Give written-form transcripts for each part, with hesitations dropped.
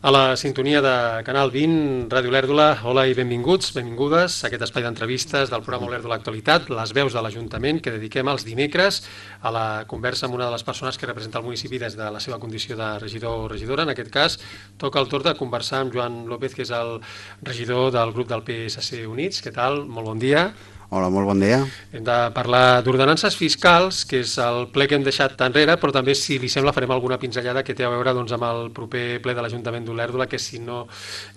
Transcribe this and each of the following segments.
A la sintonia de Canal 20, Ràdio Olèrdola, hola i benvinguts, benvingudes a aquest espai d'entrevistes del programa Olèrdola Actualitat, les veus de l'Ajuntament, que dediquem els dimecres a la conversa amb una de les persones que representa el municipi des de la seva condició de regidor o regidora. En aquest cas, toca el torn de conversar amb Joan López, que és el regidor del grup del PSC Units. Què tal? Molt bon dia. Hola, molt bon dia. Hem de parlar d'ordenances fiscals, que és el ple que hem deixat enrere, però també, si li sembla, farem alguna pinzellada que té a veure amb el proper ple de l'Ajuntament d'Olèrdola, que si no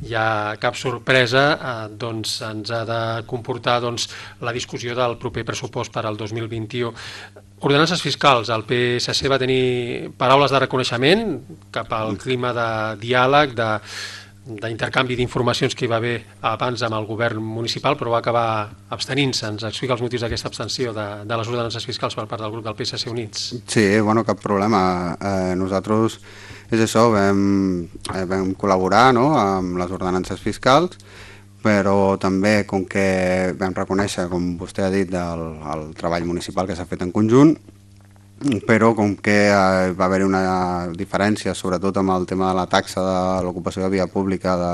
hi ha cap sorpresa, ens ha de comportar la discussió del proper pressupost per al 2021. Ordenances fiscals. El PSC va tenir paraules de reconeixement cap al clima de diàleg, d'intercanvi d'informacions que hi va haver abans amb el govern municipal, però va acabar abstenint-se. Ens explica els motius d'aquesta abstenció de les ordenances fiscals per part del grup del PSC Units. Sí, bueno, cap problema. Nosaltres, és això, vam col·laborar, no?, amb les ordenances fiscals, però també, com que vam reconèixer, com vostè ha dit, el treball municipal que s'ha fet en conjunt, però com que va haver-hi una diferència, sobretot amb el tema de la taxa de l'ocupació de via pública de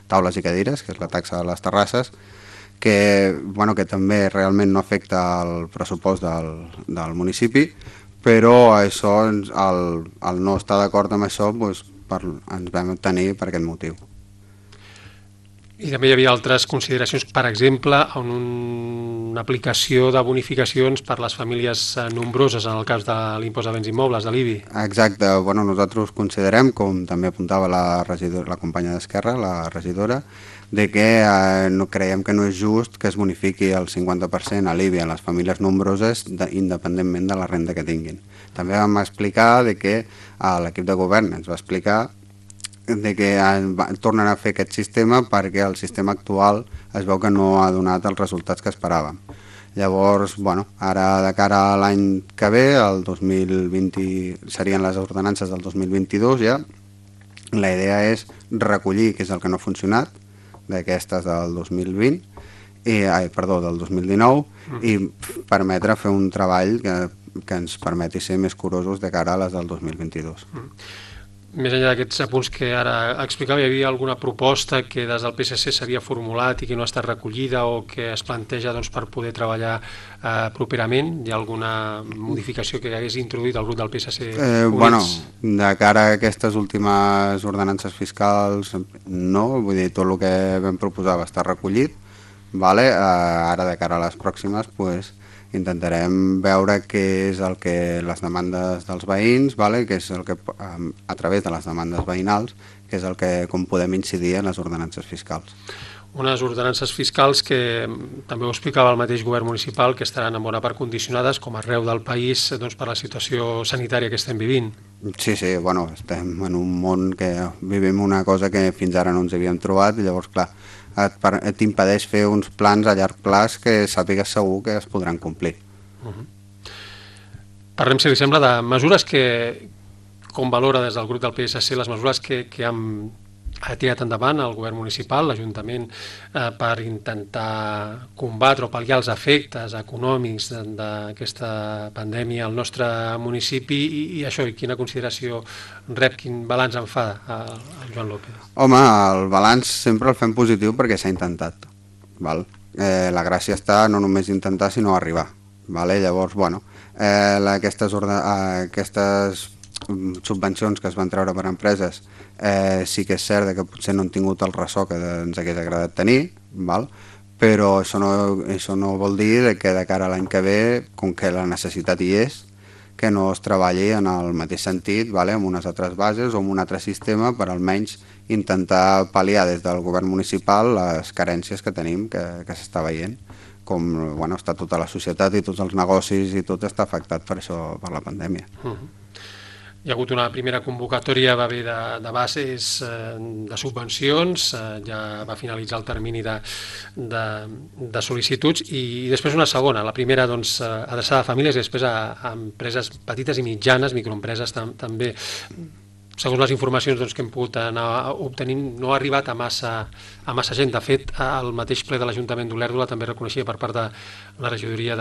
taules i cadires, que és la taxa de les terrasses, que també realment no afecta el pressupost del municipi, però això, el no estar d'acord amb això, ens vam obtenir per aquest motiu. I també hi havia altres consideracions, per exemple, en una aplicació de bonificacions per les famílies nombroses en el cas de l'impost de béns immobles, de l'IBI. Exacte, nosaltres considerem, com també apuntava la companya d'Esquerra, la regidora, de que creiem que no és just que es bonifiqui el 50% a l'IBI a les famílies nombroses independentment de la renda que tinguin. També vam explicar que l'equip de govern ens va explicar que tornen a fer aquest sistema perquè el sistema actual es veu que no ha donat els resultats que esperàvem. Llavors, ara de cara a l'any que ve, el 2020, serien les ordenances del 2022 ja, la idea és recollir què és el que no ha funcionat d'aquestes del 2020, del 2019, i permetre fer un treball que ens permeti ser més curosos de cara a les del 2022. Més enllà d'aquests apunts que ara explicava, hi havia alguna proposta que des del PSC s'havia formulat i que no ha estat recollida o que es planteja per poder treballar properament? Hi ha alguna modificació que hagués introduït el grup del PSC Units? De cara a aquestes últimes ordenances fiscals, no, vull dir, tot el que vam proposar va estar recollit. Ara de cara a les pròximes, intentarem veure què és el que les demandes dels veïns, que és el que, a través de les demandes veïnals, que és el que com podem incidir en les ordenances fiscals. Unes ordenances fiscals que també ho explicava el mateix govern municipal, que estaran en bona part condicionades, com arreu del país, per la situació sanitària que estem vivint. Sí, estem en un món que vivim una cosa que fins ara no ens havíem trobat, i llavors, clar, t'impedeix fer uns plans a llarg plaç que sàpigues segur que es podran complir. Parlem, si li sembla, de mesures que, com valora des del grup del PSC, les mesures que ha tirat endavant el govern municipal, l'Ajuntament, per intentar combatre o pal·liar els efectes econòmics d'aquesta pandèmia al nostre municipi, i això, i quina consideració rep, quin balanç en fa el Joan López? Home, el balanç sempre el fem positiu perquè s'ha intentat. La gràcia està no només intentar, sinó arribar. Llavors, aquestes subvencions que es van treure per empreses, sí que és cert que potser no han tingut el ressò que ens hagués agradat tenir, però això no vol dir que de cara a l'any que ve, com que la necessitat hi és, que no es treballi en el mateix sentit, amb unes altres bases o amb un altre sistema, per almenys intentar pal·liar des del govern municipal les carències que tenim, que s'està veient, com està tota la societat i tots els negocis i tot està afectat per això, per la pandèmia. Hi ha hagut una primera convocatòria, va haver de bases de subvencions, ja va finalitzar el termini de sol·licituds, i després una segona, la primera adreçada a famílies i després a empreses petites i mitjanes, microempreses també. Segons les informacions que hem pogut anar obtenint, no ha arribat a massa gent. De fet, el mateix ple de l'Ajuntament d'Olèrdola també reconeixia per part de la regidoria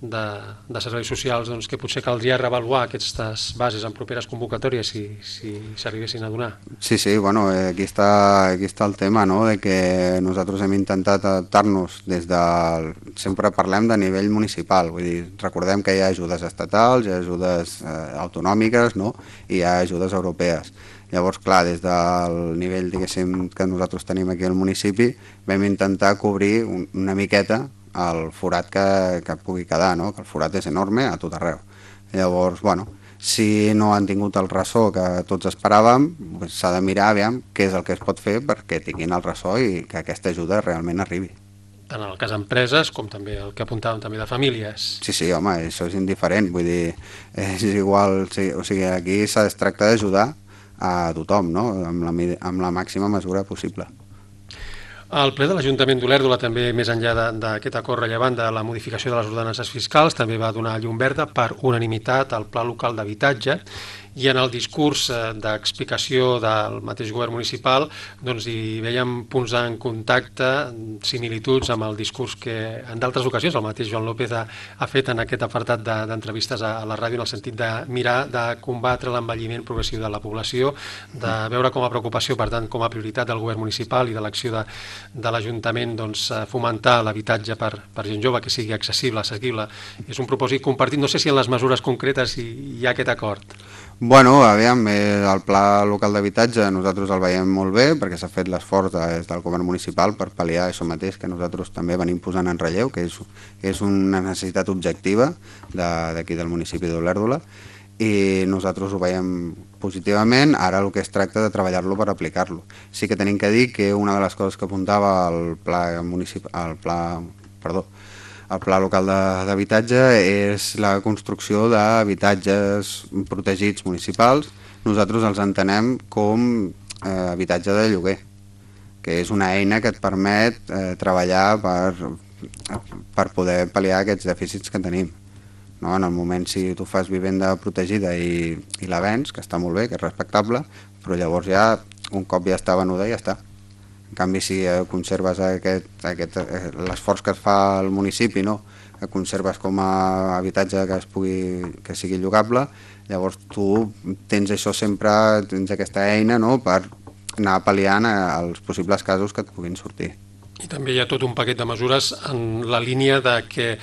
de serveis socials doncs, que potser caldria reavaluar aquestes bases en properes convocatòries si s'arribessin a donar. Sí, bueno, aquí està el tema, no?, de que nosaltres hem intentat adaptar-nos des del... Sempre parlem de nivell municipal, vull dir, recordem que hi ha ajudes estatals, hi ha ajudes autonòmiques, no?, i hi ha ajudes europees. Llavors, clar, des del nivell, diguéssim, que nosaltres tenim aquí al municipi, vam intentar cobrir una miqueta el forat que pugui quedar, no?, que el forat és enorme a tot arreu. Llavors, bueno, si no han tingut el ressò que tots esperàvem, doncs s'ha de mirar aviam què és el que es pot fer perquè tinguin el ressò i que aquesta ajuda realment arribi. Tant en el cas d'empreses com també el que apuntàvem també de famílies. Sí, home, això és indiferent, vull dir, és igual, o sigui, aquí es tracta d'ajudar a tothom, no?, amb la màxima mesura possible. El ple de l'Ajuntament d'Olèrdola també, més enllà d'aquest acord rellevant de la modificació de les ordenances fiscals, també va donar llum verda per unanimitat al Pla Local d'Habitatge i en el discurs d'explicació del mateix govern municipal doncs hi veiem punts en contacte, similituds amb el discurs que en d'altres ocasions el mateix Joan López ha fet en aquest apartat d'entrevistes a la ràdio en el sentit de mirar de combatre l'envelliment progressiu de la població, de veure com a preocupació, per tant, com a prioritat del govern municipal i de l'acció de l'Ajuntament doncs, fomentar l'habitatge per gent jove, que sigui accessible, assequible. És un propòsit compartit. No sé si en les mesures concretes hi ha aquest acord. Bueno, aviam, el Pla Local d'Habitatge nosaltres el veiem molt bé perquè s'ha fet l'esforç des del govern municipal per pal·liar això mateix que nosaltres també venim posant en relleu, que és una necessitat objectiva d'aquí del municipi d'Olèrdola i nosaltres ho veiem positivament. Ara el que es tracta de treballar-lo per aplicar-lo. Sí que tenim que dir que una de les coses que apuntava el Pla Local d'Habitatge és la construcció d'habitatges protegits municipals. Nosaltres els entenem com habitatge de lloguer, que és una eina que et permet treballar per poder pal·liar aquests dèficits que tenim. No? En el moment, si tu fas vivenda protegida i la vens, que està molt bé, que és respectable, però llavors ja, un cop ja està venuda, ja està. En canvi, si conserves l'esforç que es fa al municipi, no? Que conserves com a habitatge que sigui llogable, llavors tu tens això sempre, tens aquesta eina, no? Per anar pal·liant els possibles casos que et puguin sortir. I també hi ha tot un paquet de mesures en la línia de que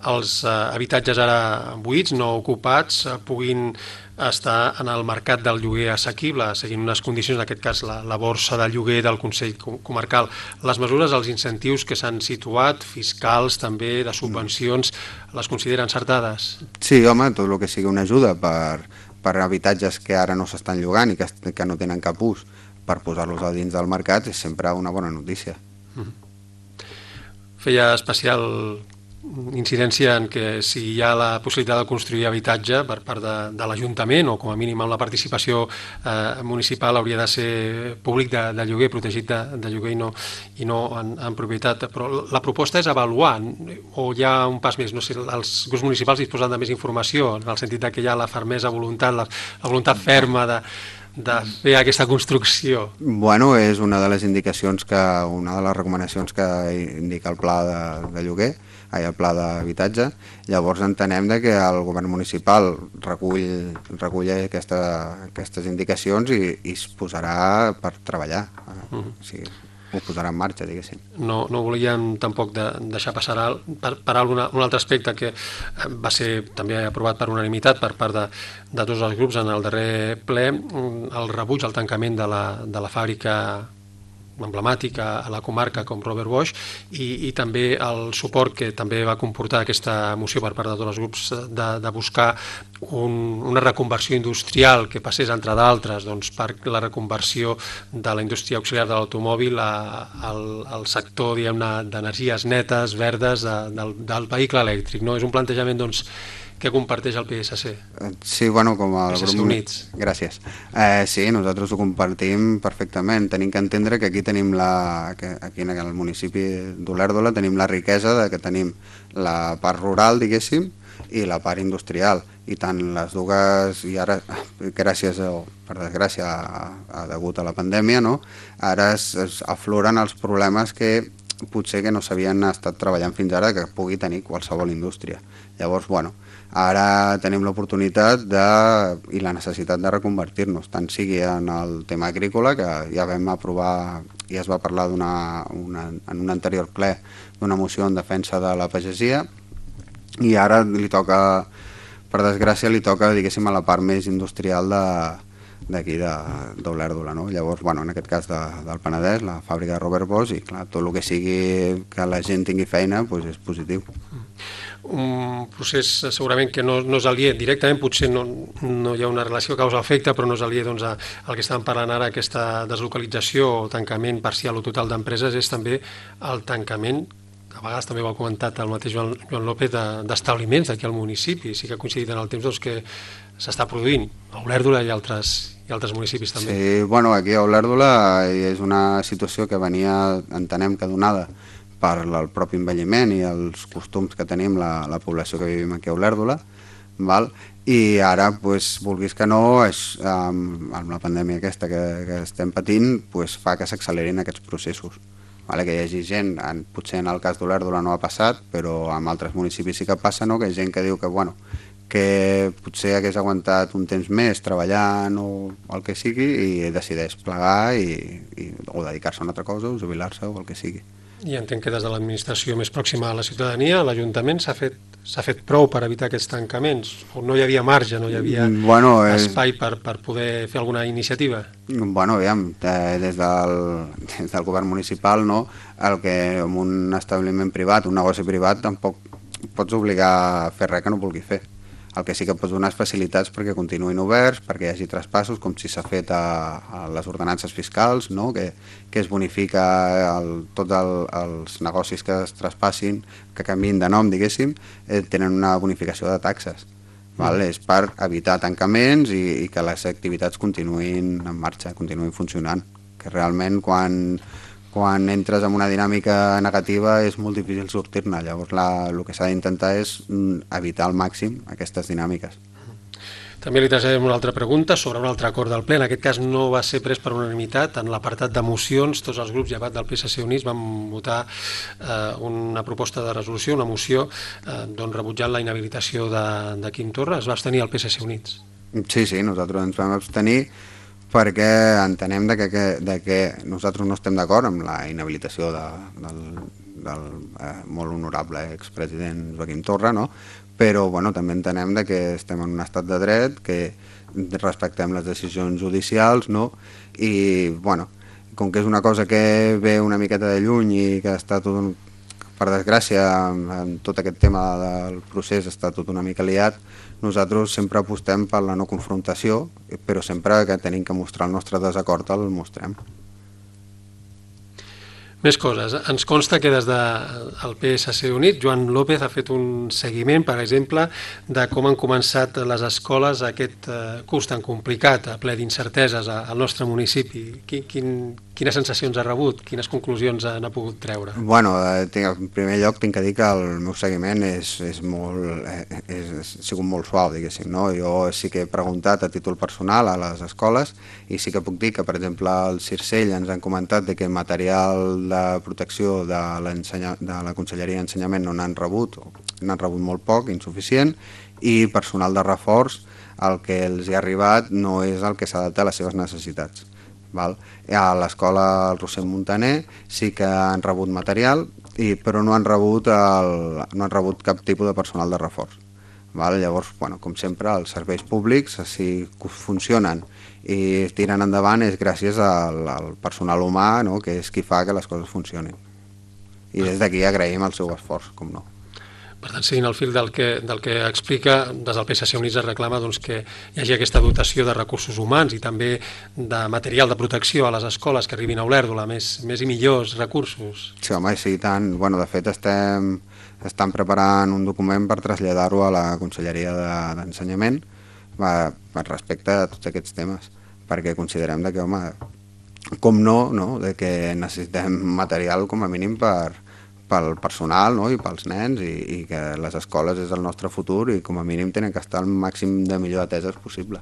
els habitatges ara buits, no ocupats, puguin estar en el mercat del lloguer assequible, seguint unes condicions, en aquest cas la borsa de lloguer del Consell Comarcal. Les mesures, els incentius que s'han situat, fiscals també, de subvencions, les consideren encertades? Sí, home, tot el que sigui una ajuda per habitatges que ara no s'estan llogant i que no tenen cap ús, per posar-los a dins del mercat és sempre una bona notícia. Feia especial incidència en que si hi ha la possibilitat de construir habitatge per part de l'Ajuntament o com a mínim amb la participació municipal hauria de ser públic de lloguer, protegit de lloguer i no en propietat. Però la proposta és avaluar o hi ha un pas més, no sé, els grups municipals disposen de més informació en el sentit que hi ha la fermesa voluntat, la voluntat ferma de fer aquesta construcció. Bueno, és una de les indicacions una de les recomanacions que indica el pla de lloguer, el pla d'habitatge. Llavors entenem que el govern municipal recull aquestes indicacions i es posarà per treballar. O sigui, ho posarà en marxa, diguéssim. No volíem tampoc deixar passar per un altre aspecte que va ser també aprovat per unanimitat per part de tots els grups en el darrer ple, el rebuig al tancament de la fàbrica emblemàtica a la comarca com Robert Bosch i també el suport que també va comportar aquesta moció per part de tots els grups de buscar una reconversió industrial que passés, entre d'altres, per la reconversió de la indústria auxiliar de l'automòbil al sector d'energies netes, verdes, del vehicle elèctric. És un plantejament que comparteix el PSC. Sí, bueno, com a PSC Units. Gràcies. Sí, nosaltres ho compartim perfectament. Tenim que entendre que aquí tenim aquí en el municipi d'Olèrdola tenim la riquesa que tenim la part rural, diguéssim, i la part industrial. I tant les dues, i ara, gràcies per desgràcia, degut a la pandèmia, no? Ara es afloren els problemes que potser que no s'havien estat treballant fins ara que pugui tenir qualsevol indústria. Llavors, bueno, ara tenim l'oportunitat i la necessitat de reconvertir-nos, tant sigui en el tema agrícola, que ja vam aprovar, ja es va parlar en un anterior ple d'una moció en defensa de la pagesia, i ara li toca, per desgràcia, li toca, diguéssim, a la part més industrial d'aquí d'Olèrdola, no? Llavors, bueno, en aquest cas del Penedès, la fàbrica de Robert Bosch, i clar, tot el que sigui que la gent tingui feina doncs és positiu. Un procés segurament que no és aliè directament, potser no hi ha una relació causa-efecte, però no és aliè doncs, al que estàvem parlant ara, aquesta deslocalització o tancament parcial o total d'empreses, és també el tancament, a vegades també ho ha comentat el mateix Joan López, d'establiments d'aquí al municipi. Sí que ha coincidit en el temps doncs, que s'està produint a Olèrdola i altres municipis també. Sí, bueno, aquí a Olèrdola és una situació que venia, entenem que donada per el propi envelliment i els costums que tenim la població que vivim aquí a Olèrdola, i ara, vulguis que no, amb la pandèmia aquesta que estem patint, fa que s'accelerin aquests processos. Que hi hagi gent, potser en el cas d'Olèrdola no ha passat, però en altres municipis sí que passa, no? Que hi ha gent que diu que potser hagués aguantat un temps més treballant o el que sigui i decideix plegar o dedicar-se a una altra cosa o jubilar-se o el que sigui. I entenc que des de l'administració més pròxima a la ciutadania, l'Ajuntament s'ha fet prou per evitar aquests tancaments? O no hi havia marge, no hi havia espai per poder fer alguna iniciativa? Bueno, aviam, des del govern municipal, no, el que en un establiment privat, un negoci privat, tampoc pots obligar a fer res que no vulgui fer. El que sí que pots donar és facilitats perquè continuïn oberts, perquè hi hagi traspassos, com si s'ha fet a les ordenances fiscals, no? Que es bonifica tots els negocis que es traspassin, que canviïn de nom, diguéssim, tenen una bonificació de taxes. És per evitar tancaments i que les activitats continuïn en marxa, continuïn funcionant. Que realment quan entres en una dinàmica negativa és molt difícil sortir-ne. Llavors el que s'ha d'intentar és evitar al màxim aquestes dinàmiques. També li traslladem una altra pregunta sobre un altre acord del ple. En aquest cas no va ser pres per unanimitat. En l'apartat de mocions, tots els grups, llevat del PSC Units, van votar una proposta de resolució, una moció, rebutjant la inhabilitació de Quim Torra. Es va abstenir el PSC Units. Sí, nosaltres ens vam abstenir perquè entenem que nosaltres no estem d'acord amb la inhabilitació del molt honorable expresident Joaquim Torra, no? Però també entenem que estem en un estat de dret, que respectem les decisions judicials, no? I com que és una cosa que ve una miqueta de lluny i que està tot, per desgràcia, en tot aquest tema del procés està tot una mica liat, nosaltres sempre apostem per la no confrontació, però sempre que tenim que mostrar el nostre desacord el mostrem. Més coses. Ens consta que des del PSC Unit, Joan López ha fet un seguiment, per exemple, de com han començat les escoles aquest curs tan complicat, ple d'incerteses al nostre municipi. Quines sensacions ha rebut? Quines conclusions n'ha pogut treure? Bueno, en primer lloc tinc que dir que el meu seguiment ha sigut molt suau, diguéssim, no? Jo sí que he preguntat a títol personal a les escoles i sí que puc dir que, per exemple, al Circell ens han comentat que material de protecció de la Conselleria d'Ensenyament no n'han rebut molt poc, insuficient, i personal de reforç el que els hi ha arribat no és el que s'adapta a les seves necessitats. A l'escola Roser Montaner sí que han rebut material, però no han rebut cap tipus de personal de reforç. Llavors, com sempre, els serveis públics, si funcionen i tiren endavant, és gràcies al personal humà, que és qui fa que les coses funcionin. I des d'aquí agraïm el seu esforç, com no. Per tant, seguint el fil del que explica, des del PSC Units es reclama que hi hagi aquesta dotació de recursos humans i també de material de protecció a les escoles que arribin a Olèrdola, més i millors recursos. Sí, home, sí, tant. De fet, estan preparant un document per traslladar-ho a la Conselleria d'Ensenyament respecte a tots aquests temes, perquè considerem que, home, com no, que necessitem material com a mínim pel personal, no? I pels nens, i que les escoles és el nostre futur i com a mínim tenen que estar al màxim de millor ateses possible.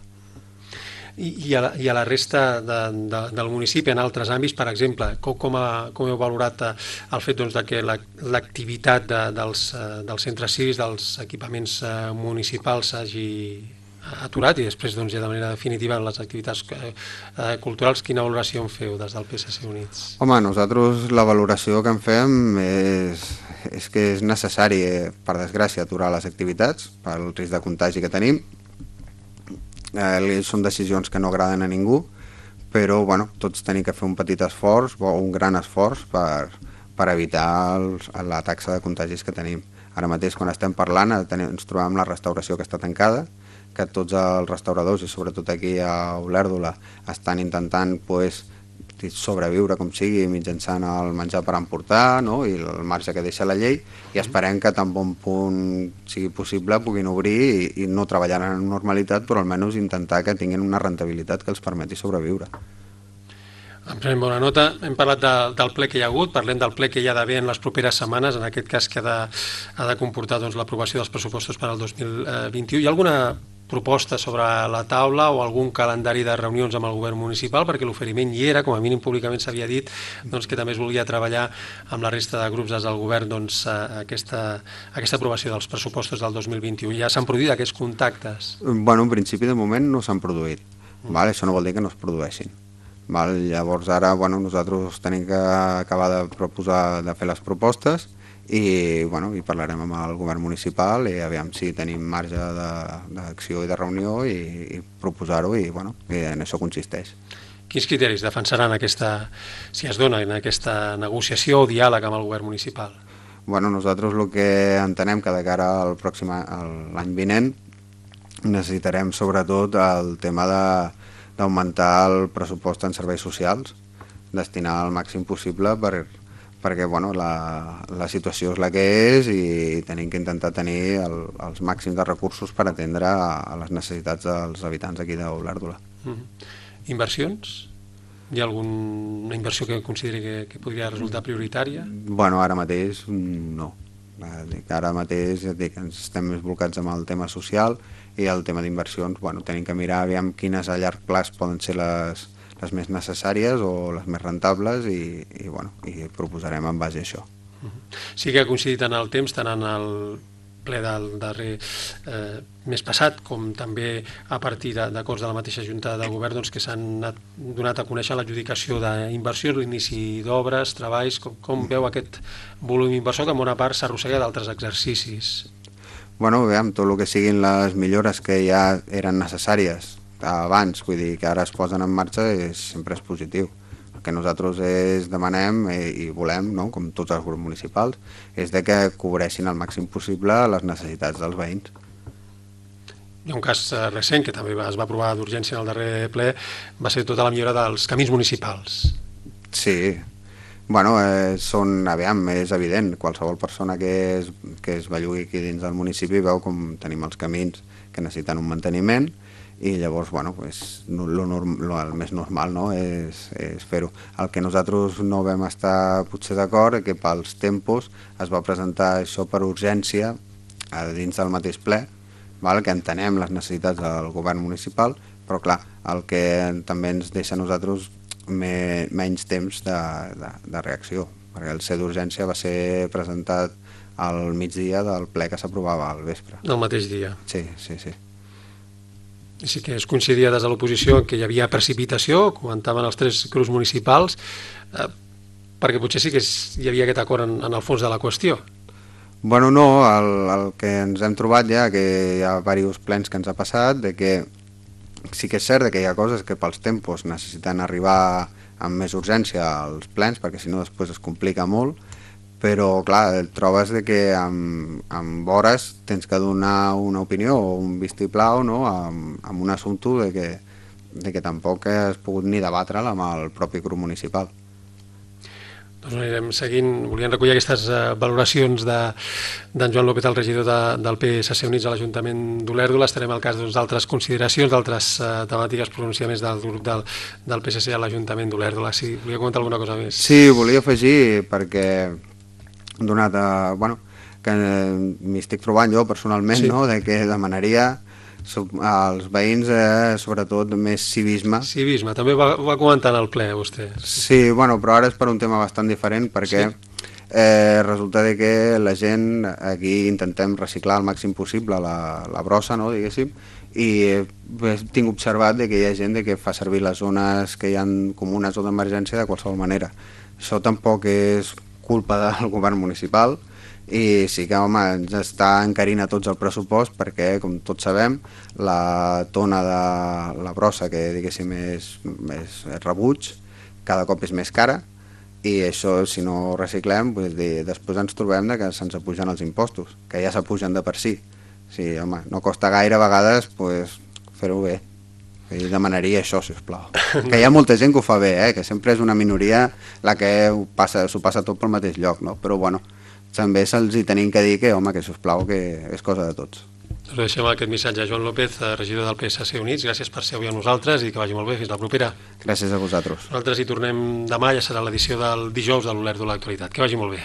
I a la resta del municipi, en altres àmbits, per exemple, com heu valorat el fet doncs, de que l'activitat dels centres cívics, dels equipaments municipals s'hagi aturat i després doncs, ja de manera definitiva en les activitats culturals, quina valoració en feu des del PSC Units? Home, nosaltres la valoració que en fem és que és necessari, per desgràcia, aturar les activitats pel risc de contagi que tenim. Són decisions que no agraden a ningú, però bueno, tots tenim que fer un petit esforç o un gran esforç per evitar la taxa de contagis que tenim. Ara mateix, quan estem parlant, ens trobem la restauració que està tancada, que tots els restauradors, i sobretot aquí a Olèrdola, estan intentant sobreviure com sigui mitjançant el menjar per emportar, no? I el marge que deixa la llei, i esperem que tan bon punt sigui possible puguin obrir i no treballar en normalitat, però almenys intentar que tinguin una rendibilitat que els permeti sobreviure. En prenem bona nota. Hem parlat del ple que hi ha hagut, parlem del ple que hi ha d'haver en les properes setmanes, en aquest cas que ha de comportar doncs, l'aprovació dels pressupostos per al 2021. Hi ha alguna proposta sobre la taula o algun calendari de reunions amb el govern municipal, perquè l'oferiment hi era, com a mínim públicament s'havia dit doncs, que també es volia treballar amb la resta de grups des del govern doncs, aquesta aprovació dels pressupostos del 2021. Ja s'han produït aquests contactes? Bueno, en principi de moment no s'han produït. Això no vol dir que no es produeixin. Llavors ara nosaltres tenim que acabar de fer les propostes i parlarem amb el govern municipal i aviam si tenim marge d'acció i de reunió i proposar-ho i en això consisteix. Quins criteris defensaran si es dona en aquesta negociació o diàleg amb el govern municipal? Nosaltres el que entenem que de cara al pròxim l'any vinent necessitarem sobretot el tema d'augmentar el pressupost en serveis socials, destinar el màxim possible perquè la situació és la que és i tenim que intentar tenir els màxims de recursos per atendre a les necessitats dels habitants aquí d'Olèrdola. Inversions? Hi ha alguna inversió que consideri que podria resultar prioritària? Ara mateix no. Ara mateix ens estem més volcats amb el tema social i el tema d'inversions tenim que mirar aviam quines a llarg plaç poden ser les més necessàries o les més rentables i proposarem en base a això. Sí que ha coincidit en el temps, tant en el ple del darrer mes passat, com també a partir d'acords de la mateixa Junta de Govern doncs, que s'han donat a conèixer l'adjudicació d'inversions, l'inici d'obres, treballs, com veu aquest volum inversor que en bona part s'arrossega d'altres exercicis? Aviam, tot el que siguin les millores que ja eren necessàries abans, vull dir que ara es posen en marxa, sempre és positiu. El que nosaltres demanem i volem, com tots els grups municipals, és que cobreixin al màxim possible les necessitats dels veïns. Hi ha un cas recent que també es va aprovar d'urgència en el darrer ple, va ser tota la millora dels camins municipals. Sí, és evident, qualsevol persona que es bellugui aquí dins del municipi veu com tenim els camins que necessiten un manteniment i llavors el més normal és fer-ho. El que nosaltres no vam estar potser d'acord és que pels tempos es va presentar això per urgència dins del mateix ple, que entenem les necessitats del govern municipal, però clar, el que també ens deixa a nosaltres menys temps de reacció, perquè el C d'urgència va ser presentat al migdia del ple que s'aprovava al vespre. Del mateix dia? Sí. Sí que es coincidia des de l'oposició que hi havia precipitació, comentaven els tres grups municipals, perquè potser sí que hi havia aquest acord en el fons de la qüestió. No, el que ens hem trobat ja, que hi ha diversos plens que ens ha passat, de que sí que és cert que hi ha coses que pels tempos necessiten arribar amb més urgència als plens, perquè si no després es complica molt, però clar, et trobes que amb hores tens que donar una opinió o un vistiplau amb un assumpte de que tampoc has pogut ni debatre'l amb el propi grup municipal. Doncs anirem seguint, volíem recollir aquestes valoracions d'en Joan López, el regidor del PSC Units a l'Ajuntament d'Olèrdola. Estarem al cas d'altres consideracions, d'altres temàtiques, pronunciaments del grup del PSC a l'Ajuntament d'Olèrdola. Si volia comentar alguna cosa més. Sí, volia afegir, perquè donat que m'hi estic trobant jo personalment, de que demanaria Els veïns, sobretot, més civisme. Civisme, també ho va comentar en el ple, vostè. Sí, bueno, però ara és per un tema bastant diferent, perquè resulta de que la gent, aquí intentem reciclar el màxim possible la brossa, no, diguéssim, i tinc observat de que hi ha gent que fa servir les zones que hi ha comunes o d'emergència de qualsevol manera. Això tampoc és culpa del govern municipal, i sí que, home, ens està encarint a tots el pressupost perquè, com tots sabem, la tona de la brossa, que diguéssim és rebuig, cada cop és més cara, i això, si no reciclem, després ens trobem que se'ns apugen els impostos, que ja s'apugen de per si. Sí, home, no costa gaire a vegades fer-ho bé. I demanaria això, sisplau. Que hi ha molta gent que ho fa bé, que sempre és una minoria la que s'ho passa tot pel mateix lloc, no? Però bueno, també se'ls hi tenim que dir que, home, que sisplau, que és cosa de tots. Doncs deixem aquest missatge a Joan López, regidor del PSC Units. Gràcies per ser avui amb nosaltres i que vagi molt bé. Fins la propera. Gràcies a vosaltres. Nosaltres hi tornem demà, ja serà l'edició del dijous de l'Olèrdola Actualitat. Que vagi molt bé.